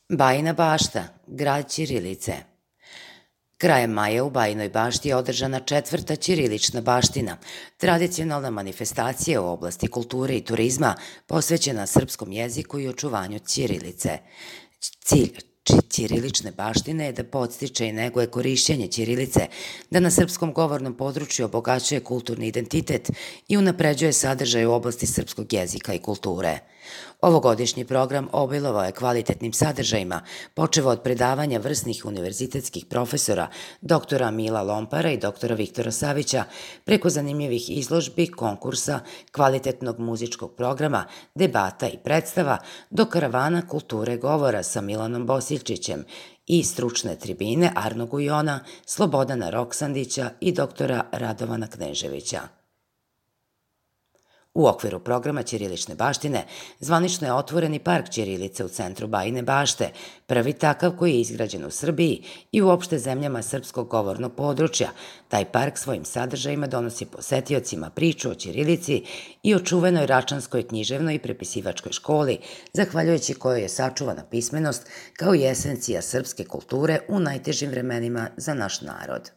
Bajina Bašta, grad ćirilice. Krajem maja u Bajinoj Bašti je održana četvrta ćirilična baština, tradicionalna manifestacija u oblasti kulture i turizma posvećena srpskom jeziku i očuvanju ćirilice. Cilj ćirilične baštine je da podstiče i neguje korišćenje ćirilice, da na srpskom govornom području obogaćuje kulturni identitet i unapređuje sadržaj u oblasti srpskog jezika i kulture. Ovogodišnji program obilovao je kvalitetnim sadržajima, počevo od predavanja vrsnih univerzitetskih profesora, doktora Mila Lompara i doktora Viktora Savića, preko zanimljivih izložbi, konkursa, kvalitetnog muzičkog programa, debata i predstava, do karavana kulture govora sa Milanom Bosiljčićem i stručne tribine Arno Gujona, Slobodana Roksandića i doktora Radovana Kneževića. U okviru programa ćirilične baštine zvanično je otvoren i park ćirilice u centru Bajine Bašte, prvi takav koji je izgrađen u Srbiji i uopšte zemljama srpskog govornog područja. Taj park svojim sadržajima donosi posetiocima priču o ćirilici i o čuvenoj Račanskoj književnoj i prepisivačkoj školi, zahvaljujući kojoj je sačuvana pismenost kao i esencija srpske kulture u najtežim vremenima za naš narod.